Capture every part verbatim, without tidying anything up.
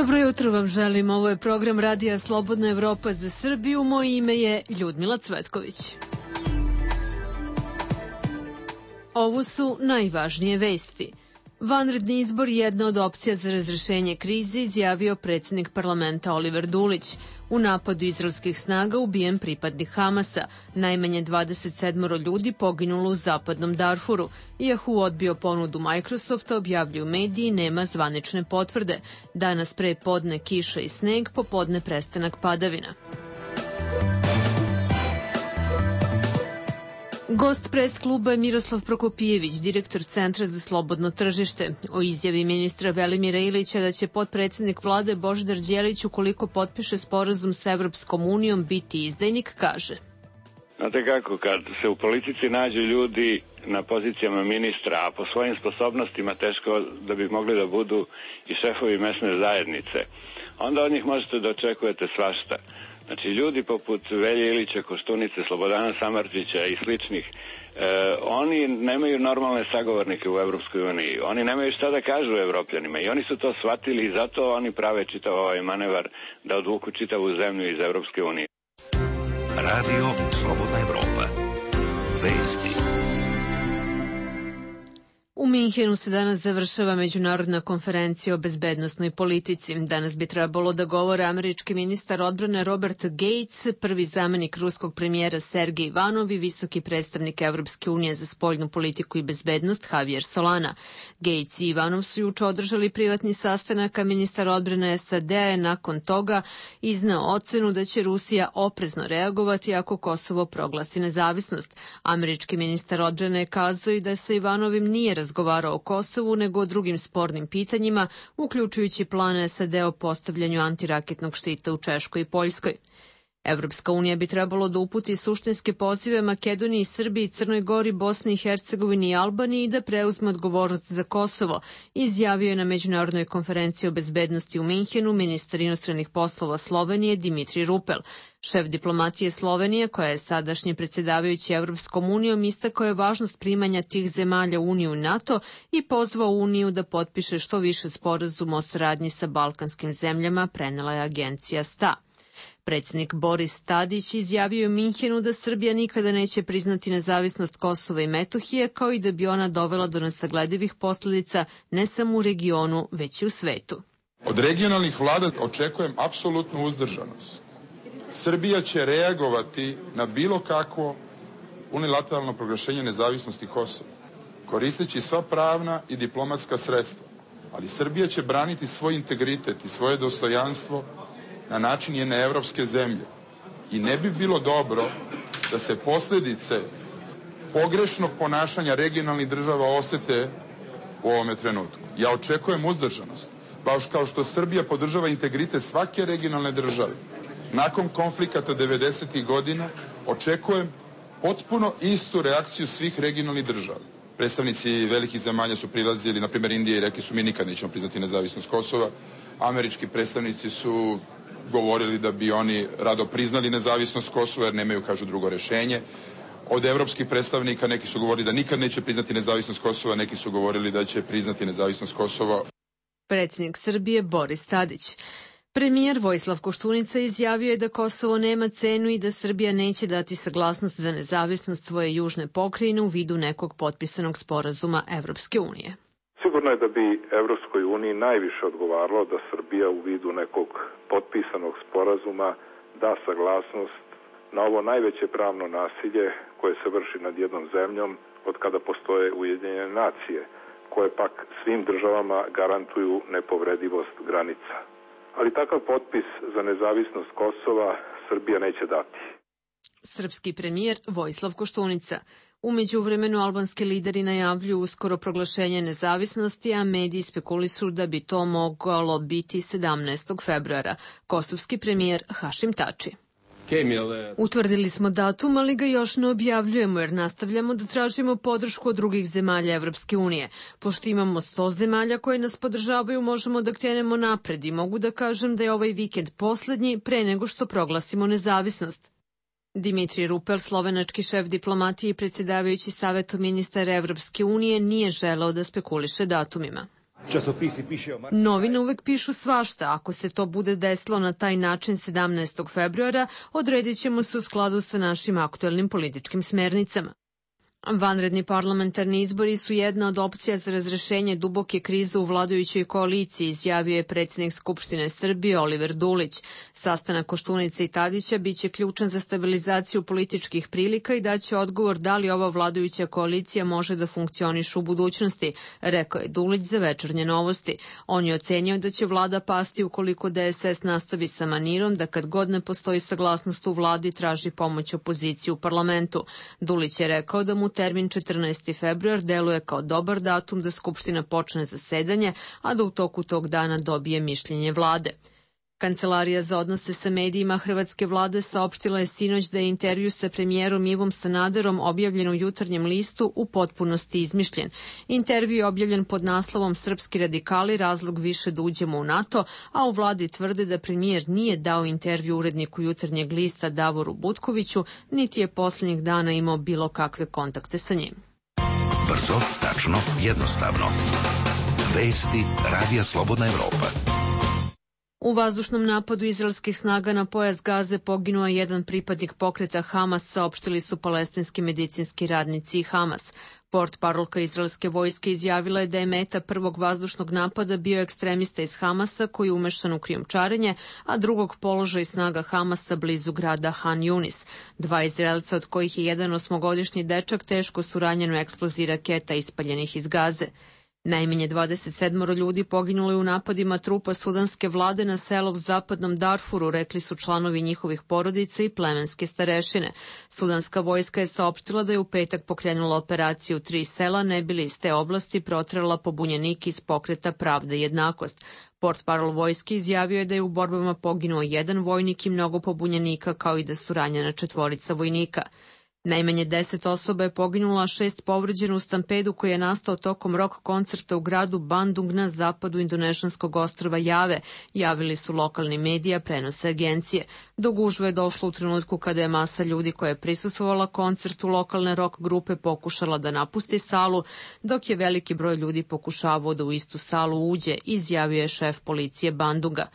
Dobro jutro vam želim. Ovo je program Radija Slobodna Evropa za Srbiju. Moje ime je Ljudmila Cvetković. Ovo su najvažnije vesti. Vanredni izbor je jedna od opcija za razrešenje krize, izjavio predsjednik parlamenta Oliver Dulić. U napadu izraelskih snaga ubijen pripadnik Hamasa. Najmanje dvadeset sedam ljudi poginulo u zapadnom Darfuru. Yahoo odbio ponudu Microsofta, objavljuju mediji, nema zvanične potvrde. Danas pre podne kiša i sneg, popodne prestanak padavina. Gost pres kluba je Miroslav Prokopijević, direktor Centra za slobodno tržište. O izjavi ministra Velimira Ilića da će potpredsednik vlade Božidar Đelić, ukoliko potpiše sporazum sa Evropskom unijom, biti izdajnik, kaže. Znate kako, kad se u politici nađu ljudi na pozicijama ministra, a po svojim sposobnostima teško da bi mogli da budu i šefovi mesne zajednice, onda od njih možete da očekujete svašta. Znači, ljudi poput Velje Ilića, Koštunice, Slobodana Samardžića i sličnih, e, oni nemaju normalne sagovornike u Evropskoj uniji. Oni nemaju šta da kažu Evropljanima i oni su to shvatili i zato oni prave čitav ovaj manevar da odvuku čitavu zemlju iz Evropske unije. Radio Slobodna Evropa. Vesti. U Minhenu se danas završava međunarodna konferencija o bezbednosnoj politici. Danas bi trebalo da govore američki ministar odbrane Robert Gates, prvi zamenik ruskog premijera Sergej Ivanov i visoki predstavnik Evropske unije za spoljnu politiku i bezbednost Javier Solana. Gates i Ivanov su juče održali privatni sastanak, a ministar odbrane S A D-a je nakon toga izneo ocenu da će Rusija oprezno reagovati ako Kosovo proglasi nezavisnost. Američki ministar odbrane je kazao i da sa Ivanovim nije razgovarao razgovarao o Kosovu, nego o drugim spornim pitanjima, uključujući plan S A D o postavljanju antiraketnog štita u Češkoj i Poljskoj. Evropska unija bi trebalo da uputi suštinske pozive Makedoniji, Srbiji, Crnoj Gori, Bosni i Hercegovini i Albaniji da preuzme odgovornost za Kosovo, izjavio je na međunarodnoj konferenciji o bezbednosti u Minhenu ministar inostranih poslova Slovenije Dimitrij Rupel. Šef diplomatije Slovenije, koja je sadašnji predsjedavajući Evropskom unijom, istakao je važnost primanja tih zemalja u Uniju i NATO i pozvao Uniju da potpiše što više sporazuma o saradnji sa balkanskim zemljama, prenela je agencija S T A. Predsjednik Boris Tadić izjavio u Minhenu da Srbija nikada neće priznati nezavisnost Kosova i Metohije, kao i da bi ona dovela do nesagledivih posljedica ne samo u regionu, već i u svetu. Od regionalnih vlada očekujem apsolutnu uzdržanost. Srbija će reagovati na bilo kakvo unilateralno proglašenje nezavisnosti Kosova, koristeći sva pravna i diplomatska sredstva. Ali Srbija će braniti svoj integritet i svoje dostojanstvo na način jedne evropske zemlje. I ne bi bilo dobro da se posljedice pogrešnog ponašanja regionalnih država osete u ovome trenutku. Ja očekujem uzdržanost, baš kao što Srbija podržava integritet svake regionalne države. Nakon konflikata devedesetih godina očekujem potpuno istu reakciju svih regionalnih država. Predstavnici velikih zemalja su prilazili, na primjer Indije, i rekli su mi nikad nećemo priznati nezavisnost Kosova. Američki predstavnici su govorili da bi oni rado priznali nezavisnost Kosova jer nemaju, kažu, drugo rešenje. Od evropskih predstavnika neki su govorili da nikad neće priznati nezavisnost Kosova, neki su govorili da će priznati nezavisnost Kosova. Predsjednik Srbije Boris Tadić. Premijer Vojislav Koštunica izjavio je da Kosovo nema cenu i da Srbija neće dati saglasnost za nezavisnost svoje južne pokrajine u vidu nekog potpisanog sporazuma Evropske unije. Sigurno je da bi Evropskoj uniji najviše odgovaralo da Srbija u vidu nekog potpisanog sporazuma da saglasnost na ovo najveće pravno nasilje koje se vrši nad jednom zemljom od kada postoje Ujedinjene nacije, koje pak svim državama garantuju nepovredivost granica. Ali takav potpis za nezavisnost Kosova Srbija neće dati. Srpski premijer Vojislav Koštunica. U međuvremenu albanski lideri najavljuju uskoro proglašenje nezavisnosti, a mediji spekulišu da bi to moglo biti sedamnaestog februara. Kosovski premijer Hašim Tači. Utvrdili smo datum, ali ga još ne objavljujemo jer nastavljamo da tražimo podršku od drugih zemalja Evropske unije. Pošto imamo sto zemalja koje nas podržavaju, možemo da krenemo napred i mogu da kažem da je ovaj vikend poslednji pre nego što proglasimo nezavisnost. Dimitrij Rupel, slovenački šef diplomatije i predsjedavajući Savetu ministara Evropske unije, nije želeo da spekuliše datumima. časopisi piše o Marku. Novine uvek pišu svašta. Ako se to bude desilo na taj način sedamnaestog februara, odredit ćemo se u skladu sa našim aktuelnim političkim smernicama. Vanredni parlamentarni izbori su jedna od opcija za razrešenje duboke krize u vladajućoj koaliciji, izjavio je predsjednik Skupštine Srbije Oliver Dulić. Sastanak Koštunice i Tadića biće ključan za stabilizaciju političkih prilika i daće odgovor da li ova vladajuća koalicija može da funkcioniše u budućnosti, rekao je Dulić za Večernje novosti. On je ocenio da će vlada pasti ukoliko D S S nastavi sa manirom da kad god ne postoji saglasnost u vladi traži pomoć opoziciji u parlamentu. Dulić je rekao da mu termin četrnaesti februar deluje kao dobar datum da Skupština počne zasedanje, a da u toku tog dana dobije mišljenje vlade. Kancelarija za odnose sa medijima Hrvatske vlade saopštila je sinoć da je intervju sa premijerom Ivom Sanaderom objavljen u Jutarnjem listu u potpunosti izmišljen. Intervju je objavljen pod naslovom Srpski radikali, razlog više da uđemo u NATO, a u vladi tvrde da premijer nije dao intervju uredniku Jutarnjeg lista Davoru Butkoviću, niti je posljednjih dana imao bilo kakve kontakte sa njim. Brzo, tačno, jednostavno. Vesti Radija Slobodna Evropa. U vazdušnom napadu izraelskih snaga na pojas Gaze poginuo je jedan pripadnik pokreta Hamas, saopštili su palestinski medicinski radnici i Hamas. Portparolka izraelske vojske izjavila je da je meta prvog vazdušnog napada bio ekstremista iz Hamasa koji je umešan u krijumčarenje, a drugog položaj snaga Hamasa blizu grada Han Yunis. Dva Izraelca, od kojih je jedan osmogodišnji dečak, teško su ranjeni u eksploziji raketa ispaljenih iz Gaze. Najmanje dvadeset sedam ljudi poginulo je u napadima trupa sudanske vlade na selo u zapadnom Darfuru, rekli su članovi njihovih porodica i plemenske starešine. Sudanska vojska je saopštila da je u petak pokrenula operaciju u tri sela, ne bi li iz te oblasti proterala pobunjenike iz pokreta Pravda i jednakost. Portparol vojske izjavio je da je u borbama poginuo jedan vojnik i mnogo pobunjenika, kao i da su ranjena četvorica vojnika. Najmanje deset osoba je poginula, a šest povređeno u stampedu koji je nastao tokom rock koncerta u gradu Bandung na zapadu indonešanskog ostrva Jave, javili su lokalni medija, prenose agencije. Do gužve je došlo u trenutku kada je masa ljudi koja je prisustvovala koncertu lokalne rock grupe pokušala da napusti salu, dok je veliki broj ljudi pokušavao da u istu salu uđe, izjavio je šef policije Bandunga.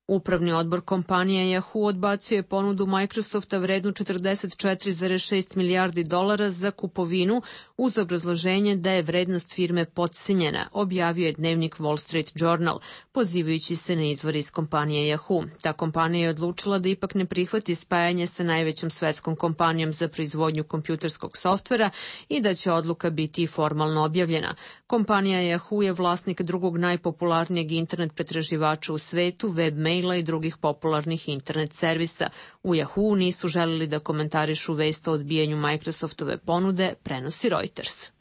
Upravni odbor kompanije Yahoo odbacio je ponudu Microsofta vrednu četrdeset četiri zarez šest milijardi dolara za kupovinu uz obrazloženje da je vrednost firme potcenjena, objavio je dnevnik Wall Street Journal, pozivajući se na izvor iz kompanije Yahoo. Ta kompanija je odlučila da ipak ne prihvati spajanje sa najvećom svetskom kompanijom za proizvodnju kompjuterskog softvera i da će odluka biti formalno objavljena. Kompanija Yahoo je vlasnik drugog najpopularnijeg internet pretraživača u svetu, webmaila i drugih popularnih internet servisa. U Yahoo nisu želeli da komentarišu vest o odbijanju Microsoftove ponude, prenosi Reuters.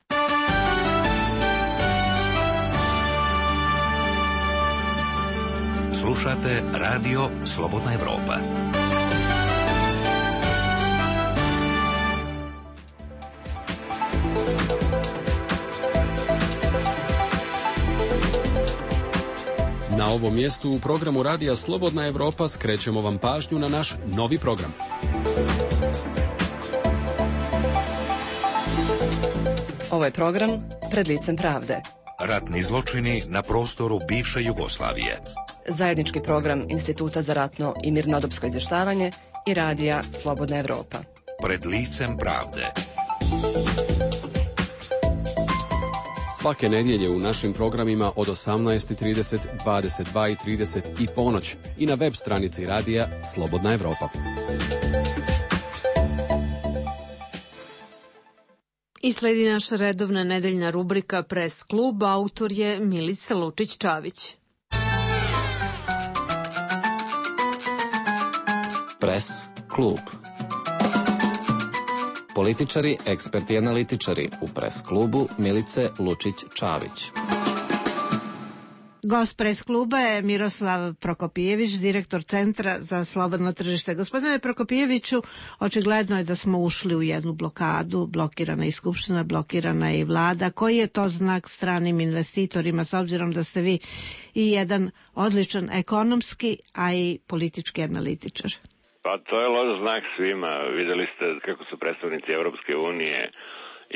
Slušate Radio Slobodna Evropa. Na ovom mjestu u programu Radija Slobodna Evropa skrećemo vam pažnju na naš novi program. Ovo je program Pred licem pravde. Ratni zločini na prostoru bivše Jugoslavije. Zajednički program Instituta za ratno i mirnodopsko izvještavanje i Radija Slobodna Evropa. Pred licem pravde. Svake nedjelje u našim programima od osamnaest i trideset, dvadeset dva i trideset i ponoć i na web stranici Radija Slobodna Evropa. I sledi naša redovna nedeljna rubrika Pres klub, autor je Milica Lučić-Čavić. Pres klub. Političari, eksperti i analitičari u Pres klubu Milice Lučić-Čavić. Gost Pres kluba je Miroslav Prokopijević, direktor Centra za slobodno tržište. Gospodine Prokopijeviću, očigledno je da smo ušli u jednu blokadu, blokirana i Skupština, blokirana i vlada. Koji je to znak stranim investitorima, s obzirom da ste vi i jedan odličan ekonomski, a i politički analitičar? Pa to je loš znak svima. Videli ste kako su predstavnici Evropske unije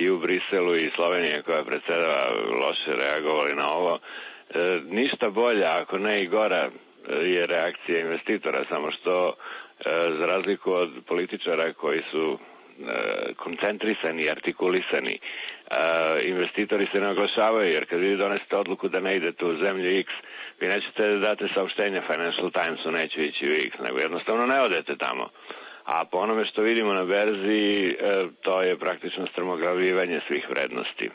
i u Briselu i Slovenije koja predsjedava loše reagovali na ovo. ništa bolja, ako ne i gora, je reakcija investitora, samo što za razliku od političara koji su koncentrisani i artikulisani, investitori se ne oglašavaju, jer kad vi donesete odluku da ne idete u zemlju X, vi nećete da date saopštenje Financial Timesu, neću ići u X, nego jednostavno ne odete tamo. A po onome što vidimo na berzi, to je praktično strmoglavljivanje svih vrednosti.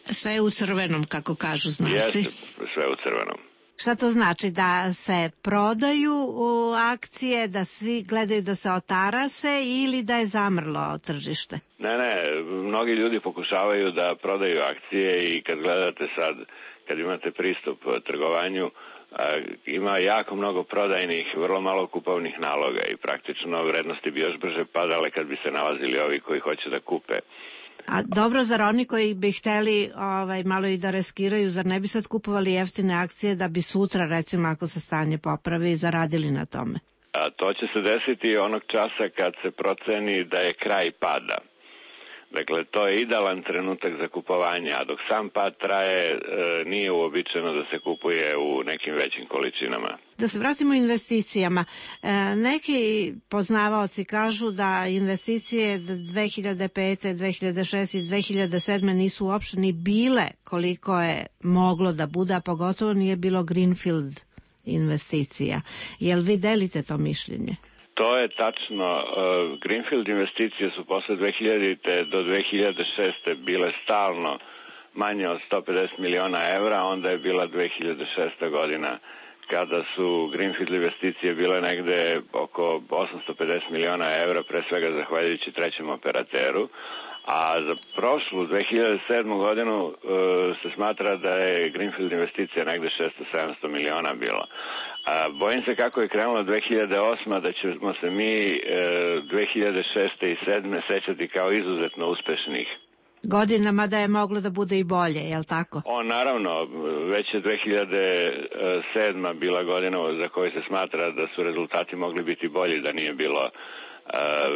Sve je u crvenom, kako kažu znalci. Jeste, sve u crvenom. Šta to znači? Da se prodaju akcije, da svi gledaju da se otarase ili da je zamrlo tržište? Ne, ne, mnogi ljudi pokušavaju da prodaju akcije i kad gledate sad, kad imate pristup trgovanju, ima jako mnogo prodajnih, vrlo malo kupovnih naloga i praktično vrednosti bi još brže padale kad bi se nalazili ovi koji hoće da kupe. A dobro, zar oni koji bi hteli ovaj, malo i da riskiraju, zar ne bi sad kupovali jeftine akcije da bi sutra, recimo, ako se stanje popravi, zaradili na tome? A to će se desiti onog časa kad se proceni da je kraj pada. Dakle, to je idealan trenutak za kupovanje, a dok sam pad traje, e, nije uobičajeno da se kupuje u nekim većim količinama. Da se vratimo investicijama. E, neki poznavaoci kažu da investicije dve hiljade pete, dve hiljade šeste i dve hiljade sedme nisu uopšte ni bile koliko je moglo da bude, a pogotovo nije bilo greenfield investicija. Jel vi delite to mišljenje? To je tačno. Greenfield investicije su posle dve hiljadite do dve hiljade šeste bile stalno manje od sto pedeset miliona evra, onda je bila dve hiljade šesta godina kada su Greenfield investicije bile negde oko osamsto pedeset miliona evra, pre svega zahvaljujući trećem operateru, a za prošlu dve hiljade sedmu godinu se smatra da je Greenfield investicija negde šesto sedamsto miliona bilo. A bojim se kako je krenula dve hiljade osma da ćemo se mi dve hiljade šeste i sedme sećati kao izuzetno uspešnih godinama, da je moglo da bude i bolje, je li tako? O, naravno, već je dve hiljade sedma bila godina za koju se smatra da su rezultati mogli biti bolji da nije bilo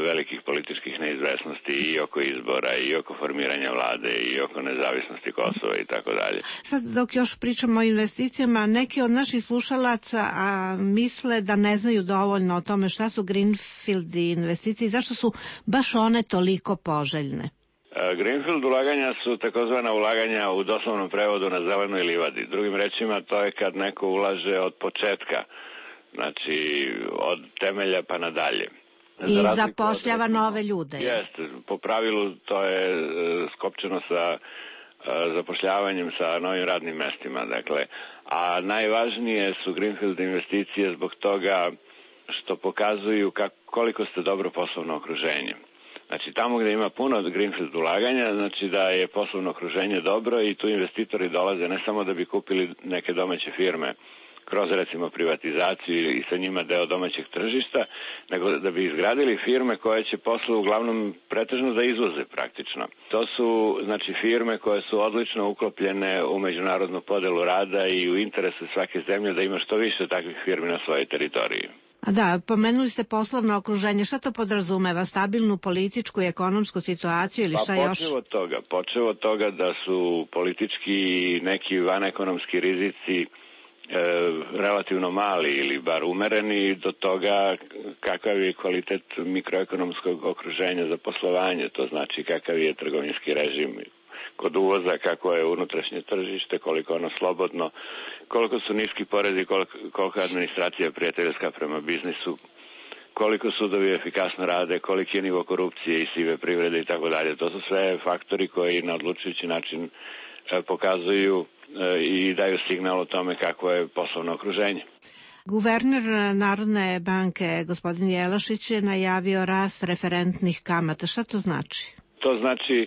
velikih političkih neizvesnosti i oko izbora i oko formiranja vlade i oko nezavisnosti Kosova i tako dalje. Sad dok još pričamo o investicijama, neki od naših slušalaca a, misle da ne znaju dovoljno o tome šta su greenfield investicije i zašto su baš one toliko poželjne. Greenfield ulaganja su takozvana ulaganja u doslovnom prevodu na zelenoj livadi. Drugim rečima, to je kad neko ulaže od početka, znači od temelja pa nadalje. I zapošljava od, nove ljude. Jeste, po pravilu to je skopčeno sa zapošljavanjem, sa novim radnim mestima. Dakle, a najvažnije su greenfield investicije zbog toga što pokazuju kako, koliko ste dobro poslovno okruženje. Znači, tamo gde ima puno greenfield ulaganja, znači da je poslovno okruženje dobro i tu investitori dolaze ne samo da bi kupili neke domaće firme kroz recimo privatizaciju i sa njima deo domaćeg tržišta, nego da bi izgradili firme koje će posle uglavnom pretežno da izvoze praktično. To su znači firme koje su odlično uklopljene u međunarodnu podelu rada i u interesu svake zemlje da ima što više takvih firmi na svojoj teritoriji. A da, pomenuli ste poslovno okruženje. Šta to podrazumeva? Stabilnu političku i ekonomsku situaciju ili šta pa, još? Počeo od toga, počeo od toga da su politički neki vanekonomski rizici E, relativno mali ili bar umereni, do toga kakav je kvalitet mikroekonomskog okruženja za poslovanje, to znači kakav je trgovinski režim kod uvoza, kako je unutrašnje tržište, koliko ono slobodno, koliko su niski porezi, koliko, koliko administracija prijateljska prema biznisu, koliko sudovi efikasno rade, koliki je nivo korupcije i sive privrede i tako dalje. To su sve faktori koji na odlučujući način e, pokazuju i daju signal o tome kako je poslovno okruženje. Guverner Narodne banke, gospodin Jelašić, je najavio rast referentnih kamata. Šta to znači? To znači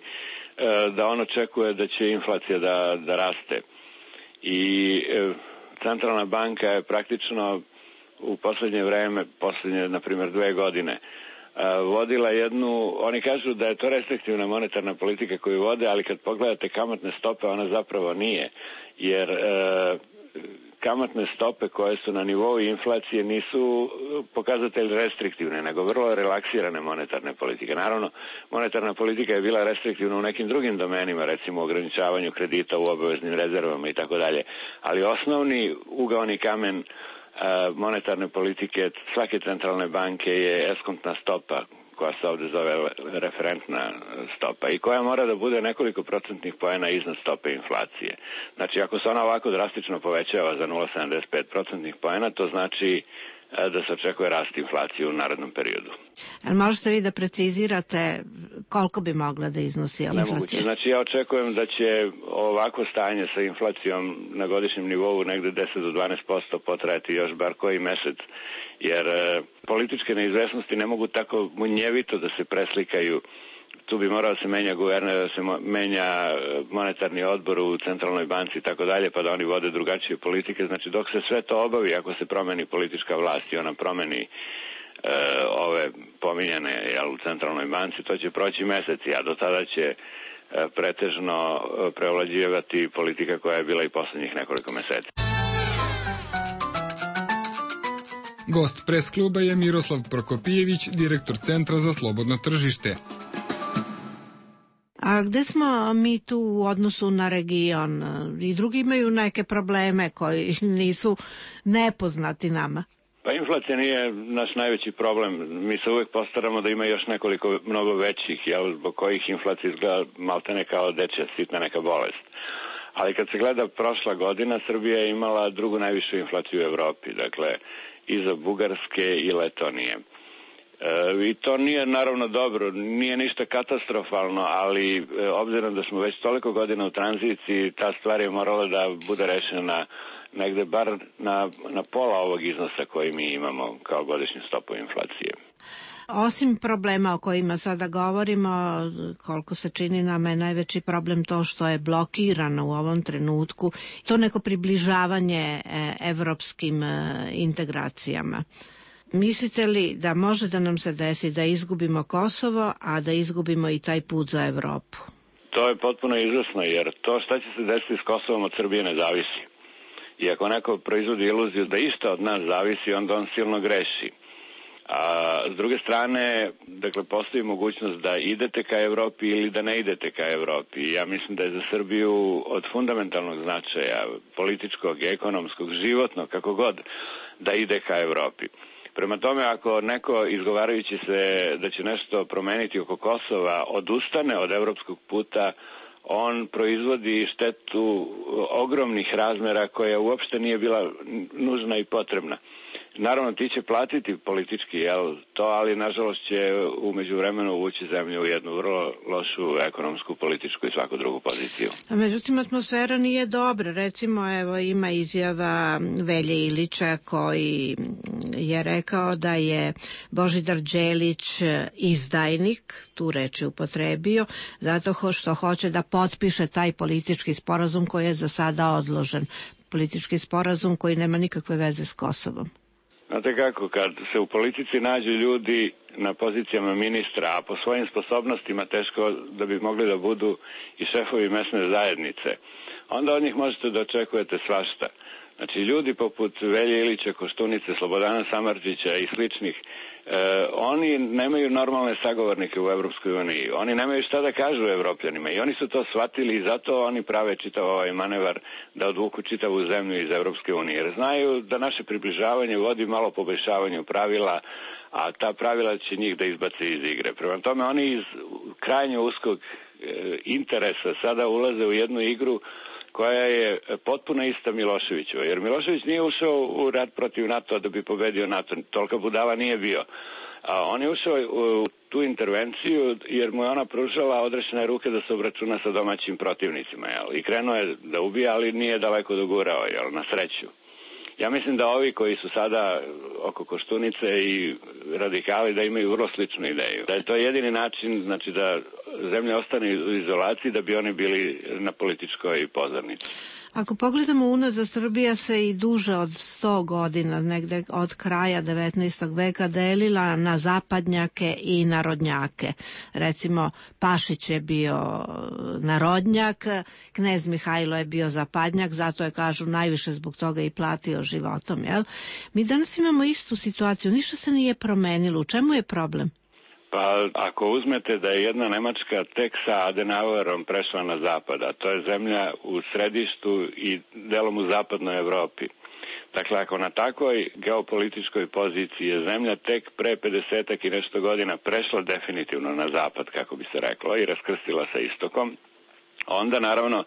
da on očekuje da će inflacija da, da raste. I Centralna banka je praktično u poslednje vreme, poslednje, na primjer, dve godine, vodila jednu, oni kažu da je to restriktivna monetarna politika koju vode, ali kad pogledate kamatne stope, ona zapravo nije, jer e, kamatne stope koje su na nivou inflacije nisu pokazatelj restriktivne, nego vrlo relaksirane monetarne politike. Naravno, monetarna politika je bila restriktivna u nekim drugim domenima, recimo u ograničavanju kredita u obaveznim rezervama i tako dalje, ali osnovni ugaoni kamen monetarne politike svake centralne banke je eskontna stopa, koja se ovde zove referentna stopa i koja mora da bude nekoliko procentnih poena iznad stope inflacije. Znači, ako se ona ovako drastično povećava za nula zarez sedamdeset pet procentnih poena, to znači da se očekuje rast inflacije u narednom periodu. Ali možete vi da precizirate koliko bi mogla da iznosi inflacija? Nemoguće. Znači, ja očekujem da će ovako stanje sa inflacijom na godišnjem nivou negde deset do dvanaest posto potrajati još bar koji mesec, jer e, političke neizvesnosti ne mogu tako munjevito da se preslikaju. Tu bi morao da se menja guverner, da se menja monetarni odbor u centralnoj banci i tako dalje, pa da oni vode drugačije politike. Znači, dok se sve to obavi, ako se promeni politička vlast i ona promeni e, ove pominjane jel, u centralnoj banci, to će proći meseci, a do tada će e, pretežno preovlađivati politika koja je bila i poslednjih nekoliko meseci. Gost pres kluba je Miroslav Prokopijević, direktor Centra za slobodno tržište. A gde smo mi tu u odnosu na region? I drugi imaju neke probleme koji nisu nepoznati nama. Pa inflacija nije naš najveći problem. Mi se uvek postaramo da ima još nekoliko mnogo većih, jel, zbog kojih inflacija izgleda maltene kao dečja sitna neka bolest. Ali kad se gleda prošla godina, Srbija je imala drugu najvišu inflaciju u Evropi, dakle iza Bugarske i Letonije. E, I to nije naravno dobro, nije ništa katastrofalno, ali e, obzirom da smo već toliko godina u tranziciji, ta stvar je morala da bude rešena negde bar na, na pola ovog iznosa koji mi imamo kao godišnju stopu inflacije. Osim problema o kojima sada govorimo, koliko se čini nama je najveći problem to što je blokirano u ovom trenutku, to neko približavanje evropskim integracijama. Mislite li da može da nam se desi da izgubimo Kosovo, a da izgubimo i taj put za Evropu? To je potpuno izvesno, jer to šta će se desiti s Kosovom od Srbije ne zavisi. I ako neko proizvodi iluziju da isto od nas zavisi, onda on silno greši. A s druge strane, dakle, postoji mogućnost da idete ka Evropi ili da ne idete ka Evropi. I ja mislim da je za Srbiju od fundamentalnog značaja, političkog, ekonomskog, životnog, kako god, da ide ka Evropi. Prema tome, ako neko izgovarajući se da će nešto promeniti oko Kosova odustane od evropskog puta, on proizvodi štetu ogromnih razmera koja uopšte nije bila nužna i potrebna. Naravno, ti će platiti politički, jel, to, ali nažalost će u međuvremenu uvući zemlju u jednu vrlo lošu ekonomsku, političku i svaku drugu poziciju. A međutim, atmosfera nije dobra. Recimo, evo, ima izjava Velje Ilića koji je rekao da je Božidar Đelić izdajnik, tu reč je upotrebio, zato što hoće da potpiše taj politički sporazum koji je za sada odložen. Politički sporazum koji nema nikakve veze s Kosovom. Znate kako, kad se u politici nađu ljudi na pozicijama ministra, a po svojim sposobnostima teško da bi mogli da budu i šefovi mesne zajednice, onda od njih možete da očekujete svašta. Znači, ljudi poput Velje Ilića, Koštunice, Slobodana Samardžića i sličnih, e, oni nemaju normalne sagovornike u Evropskoj uniji. Oni nemaju šta da kažu evropljanima i oni su to shvatili i zato oni prave čitav ovaj manevar da odvuku čitavu zemlju iz Evropske unije. Jer znaju da naše približavanje vodi malo poboljšavanju pravila, a ta pravila će njih da izbace iz igre. Prema tome, oni iz krajnje uskog e, interesa sada ulaze u jednu igru koja je potpuno ista Miloševićeva, jer Milošević nije ušao u rat protiv NATO da bi pobedio NATO, tolika budala nije bio. A on je ušao u tu intervenciju jer mu je ona pružala odrešene ruke da se obračuna sa domaćim protivnicima, jel? I krenuo je da ubija, ali nije daleko dogurao, jel? Na sreću. Ja mislim da ovi koji su sada oko Koštunice i radikali da imaju vrlo sličnu ideju. Da je to jedini način, znači da zemlja ostane u izolaciji da bi oni bili na političkoj pozornici. Ako pogledamo unazad, Srbija se i duže od sto godina, negde od kraja devetnaestog veka, delila na zapadnjake i narodnjake. Recimo, Pašić je bio narodnjak, knez Mihajlo je bio zapadnjak, zato je, kažu, najviše zbog toga i platio životom. Jel? Mi danas imamo istu situaciju, ništa se nije promenilo. U čemu je problem? Pa ako uzmete da je jedna Nemačka tek sa Adenauerom prešla na zapad, a to je zemlja u središtu i delom u zapadnoj Evropi. Dakle, ako na takvoj geopolitičkoj poziciji je zemlja tek pre pedesetak i nešto godina prešla definitivno na zapad, kako bi se reklo, i raskrstila sa istokom, onda naravno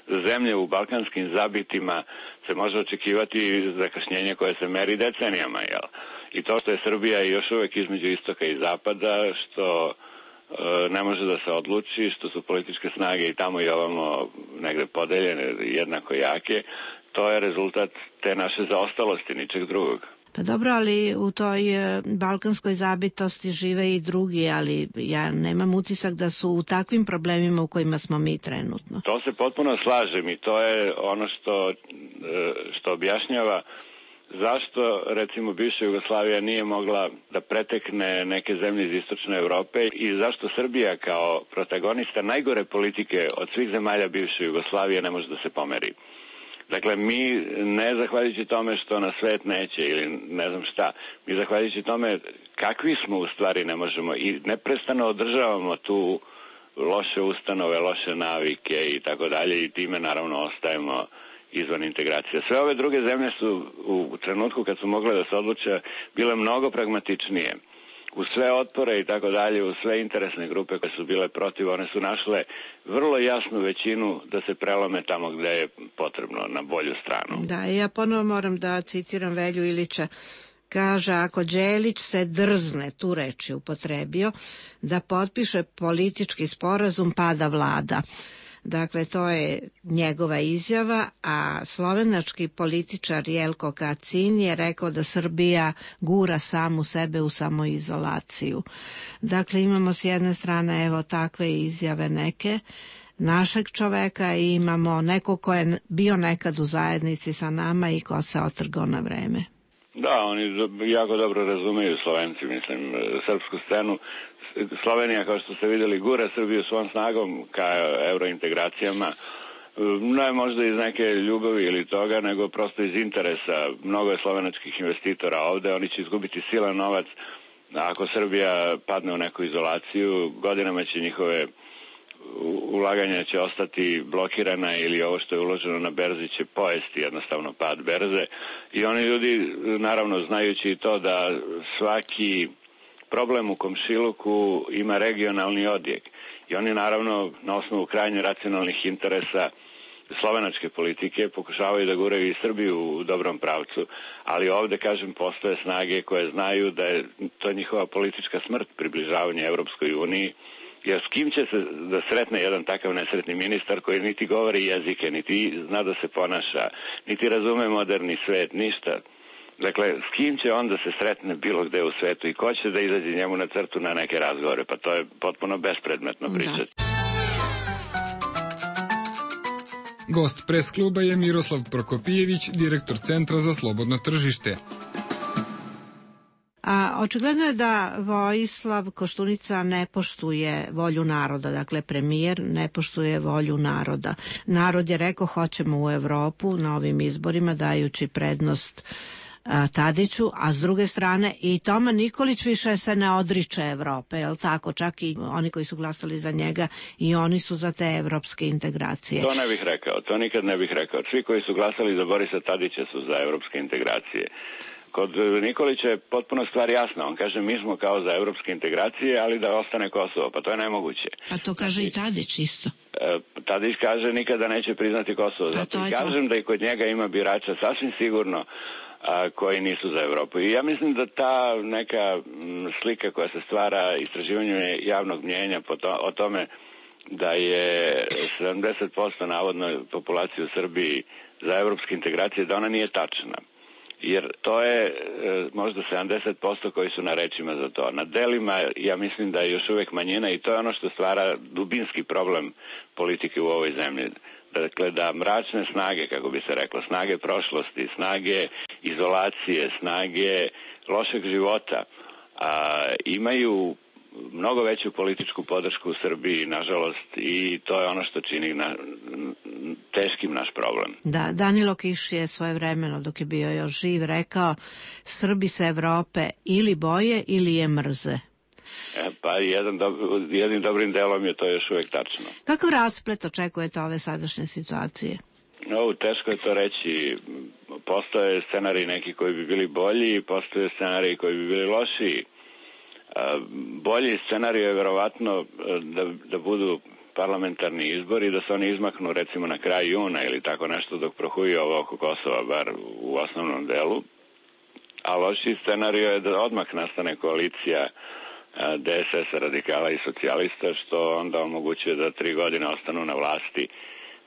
za zemlje u balkanskim zabitima se može očekivati zakašnjenje koje se meri decenijama, jel? I to što je Srbija još uvek između istoka i zapada, što e, ne može da se odluči, što su političke snage i tamo i ovamo negde podeljene, jednako jake, to je rezultat te naše zaostalosti, ničeg drugog. Pa dobro, ali u toj balkanskoj zabitosti žive i drugi, ali ja nemam utisak da su u takvim problemima u kojima smo mi trenutno. To se potpuno slažem i to je ono što, što objašnjava zašto, recimo, bivša Jugoslavija nije mogla da pretekne neke zemlje iz istočne Evrope i zašto Srbija kao protagonista najgore politike od svih zemalja bivše Jugoslavije ne može da se pomeri. Dakle, mi ne zahvaljujući tome što nas svet neće ili ne znam šta, mi zahvaljujući tome kakvi smo u stvari ne možemo i neprestano održavamo tu loše ustanove, loše navike i tako dalje i time naravno ostajemo izvan integracije. Sve ove druge zemlje su u trenutku kad su mogle da se odluče bile mnogo pragmatičnije. U sve otpore i tako dalje, u sve interesne grupe koje su bile protiv, one su našle vrlo jasnu većinu da se prelome tamo gde je potrebno, na bolju stranu. Da, ja ponovo moram da citiram Velju Ilića. Kaže, ako Đelić se drzne, tu reč je upotrebio, da potpiše politički sporazum, pada vlada. Dakle, to je njegova izjava, a slovenački političar Jelko Kacin je rekao da Srbija gura samu sebe u samoizolaciju. Dakle, imamo s jedne strane evo takve izjave neke našeg čoveka i imamo neko ko je bio nekad u zajednici sa nama i ko se otrgao na vreme. Da, oni jako dobro razumeju, Slovenci, mislim, srpsku scenu. Slovenija, kao što ste videli, gura Srbiju svom snagom ka eurointegracijama, ne možda iz neke ljubavi ili toga, nego prosto iz interesa. Mnogo je slovenačkih investitora ovde, oni će izgubiti silan novac. Ako Srbija padne u neku izolaciju, godinama će njihove ulaganja će ostati blokirana ili ovo što je uloženo na berzi će pojesti jednostavno pad berze. I oni ljudi, naravno, znajući to da svaki problem u komšiluku ima regionalni odjek. I oni, naravno, na osnovu krajnje racionalnih interesa slovenačke politike pokušavaju da guraju i Srbiju u dobrom pravcu, ali ovde, kažem, postoje snage koje znaju da je to njihova politička smrt, približavanje Evropskoj uniji, jer s kim će se da sretne jedan takav nesretni ministar koji niti govori jezike, niti zna da se ponaša, niti razume moderni svet, ništa. Dakle, s kim će on da se sretne bilo gde u svetu i ko će da izađe njemu na crtu na neke razgovore? Pa to je potpuno bespredmetno pričati. Da. Gost pres kluba je Miroslav Prokopijević, direktor Centra za slobodno tržište. A očigledno je da Vojislav Koštunica ne poštuje volju naroda, dakle premijer ne poštuje volju naroda. Narod je rekao hoćemo u Evropu na ovim izborima dajući prednost a, Tadiću, a s druge strane i Toma Nikolić više se ne odriče Evrope, jel tako? Čak i oni koji su glasali za njega i oni su za te evropske integracije. To ne bih rekao, to nikad ne bih rekao. Svi koji su glasali za Borisa Tadića su za evropske integracije. Kod Nikolića je potpuno stvar jasna. On kaže mi smo kao za evropske integracije, ali da ostane Kosovo. Pa to je nemoguće. Pa to kaže i Tadić isto. Tadić kaže nikada neće priznati Kosovo. Pa zato i kažem to. Da i kod njega ima birača sasvim sigurno a, koji nisu za Evropu. I ja mislim da ta neka m, slika koja se stvara istraživanjem javnog mnjenja po to, o tome da je sedamdeset posto navodno populacije u Srbiji za evropske integracije, da ona nije tačna. Jer to je e, možda sedamdeset posto koji su na rečima za to. Na delima ja mislim da je još uvek manjina i to je ono što stvara dubinski problem politike u ovoj zemlji. Dakle, da mračne snage, kako bi se reklo, snage prošlosti, snage izolacije, snage lošeg života, a, imaju mnogo veću političku podršku u Srbiji, nažalost, i to je ono što čini na, teškim naš problem. Da, Danilo Kiš je svojevremeno, dok je bio još živ, rekao: Srbi se Evrope ili boje ili je mrze. E, pa jedan do, jednim dobrim delom je to još uvijek tačno. Kakav rasplet očekujete ove sadašnje situacije? No, teško je to reći. Postoje scenariji neki koji bi bili bolji, postoje scenariji koji bi bili lošiji. Bolji scenarij je verovatno da, da budu parlamentarni izbori, da se oni izmaknu recimo na kraj juna ili tako nešto dok prohuji ovo oko Kosova, bar u osnovnom delu. A loši scenarij je da odmah nastane koalicija D S S-a, radikala i socijalista, što onda omogućuje da tri godine ostanu na vlasti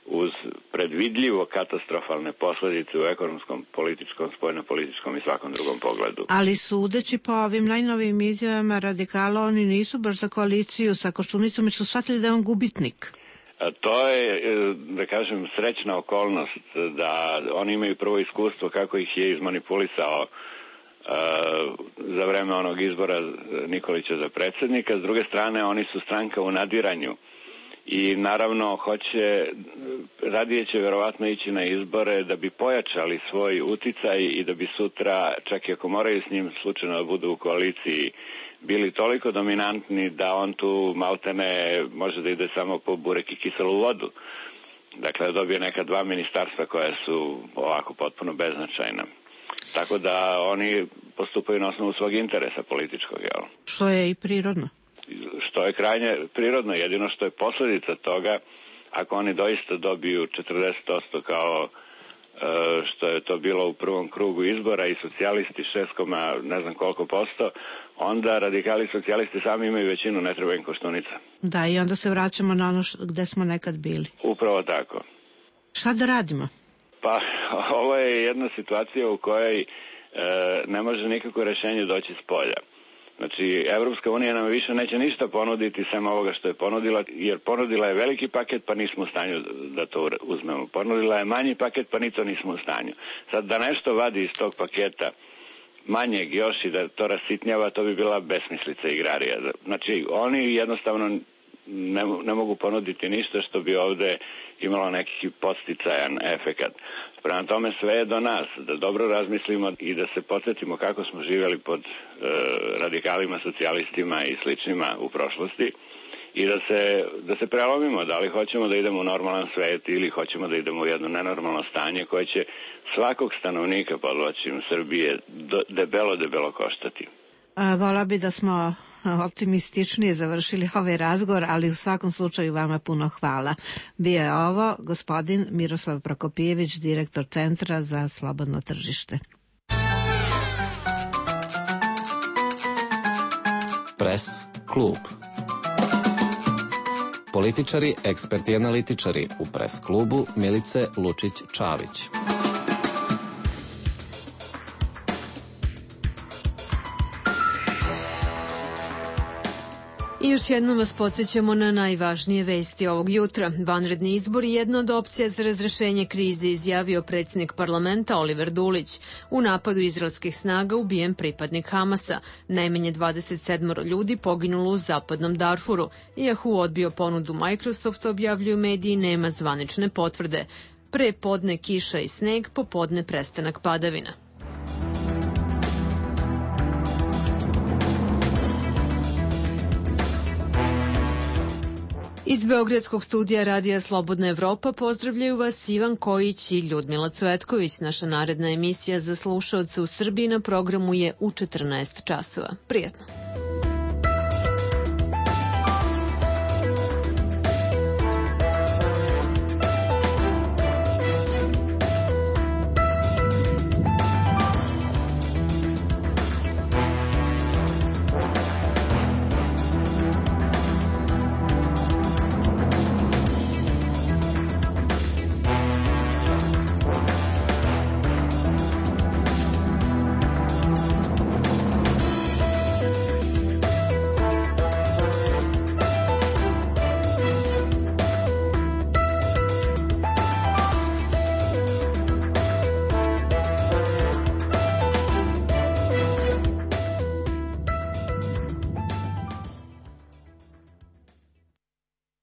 uz predvidljivo katastrofalne posledice u ekonomskom, političkom, spoljno-političkom i svakom drugom pogledu. Ali sudeći po ovim najnovijim izjavama radikala, oni nisu baš za koaliciju sa Koštunicom, jer su shvatili da je on gubitnik. A to je, da kažem, srećna okolnost da oni imaju prvo iskustvo kako ih je izmanipulisao Uh, za vreme onog izbora Nikolića za predsjednika. S druge strane, oni su stranka u nadiranju i naravno hoće, radije će verovatno ići na izbore da bi pojačali svoj uticaj i da bi sutra, čak i ako moraju s njim slučajno da budu u koaliciji, bili toliko dominantni da on tu maltene može da ide samo po burek i kiselu vodu. Dakle, da dobije neka dva ministarstva koja su ovako potpuno beznačajna. Tako da oni postupaju na osnovu svog interesa političkog, jel? Što je i prirodno. Što je krajnje prirodno, jedino što je posljedica toga, ako oni doista dobiju četrdeset posto kao što je to bilo u prvom krugu izbora i socijalisti šest, ne znam koliko posto, onda radikali i socijalisti sami imaju većinu, ne treba im Koštunica. Da, i onda se vraćamo na ono gde smo nekad bili. Upravo tako. Šta da radimo? Pa, ovo je jedna situacija u kojoj e, ne može nikako rešenje doći s polja. Znači, Evropska unija nam više neće ništa ponuditi sem ovoga što je ponudila, jer ponudila je veliki paket, pa nismo u stanju da to uzmemo. Ponudila je manji paket, pa ni to nismo u stanju. Sad, da nešto vadi iz tog paketa manjeg još i da to rasitnjava, to bi bila besmislica igrarija. Znači, oni jednostavno ne, ne mogu ponuditi ništa što bi ovde imalo neki podsticajan efekat. Prema tome, sve je do nas, da dobro razmislimo i da se podsjetimo kako smo živjeli pod e, radikalima, socijalistima i sličnima u prošlosti i da se, da se prelomimo, da li hoćemo da idemo u normalan svet ili hoćemo da idemo u jedno nenormalno stanje koje će svakog stanovnika, podvlačim, Srbije do, debelo, debelo koštati. A, vola bi da smo optimističnije završili ovaj razgovor, ali u svakom slučaju vama puno hvala. Bio je ovo gospodin Miroslav Prokopijević, direktor Centra za slobodno tržište. Pres klub. Političari, eksperti i analitičari u Pres klubu Milice Lučić-Čavić. I još jednom vas podsjećamo na najvažnije vesti ovog jutra. Vanredni izbor je jedna od opcija za razrešenje krize, izjavio predsjednik parlamenta Oliver Dulić. U napadu izraelskih snaga ubijen pripadnik Hamasa. Najmanje dvadeset sedam ljudi poginulo u zapadnom Darfuru. Iako odbio ponudu Microsoft, objavljuju mediji, nema zvanične potvrde. Pre podne kiša i sneg, popodne prestanak padavina. Iz Beogradskog studija Radija Slobodna Evropa pozdravljaju vas Ivan Kojić i Ljudmila Cvetković. Naša naredna emisija za slušaoce u Srbiji na programu je u četrnaest časova. Prijetno.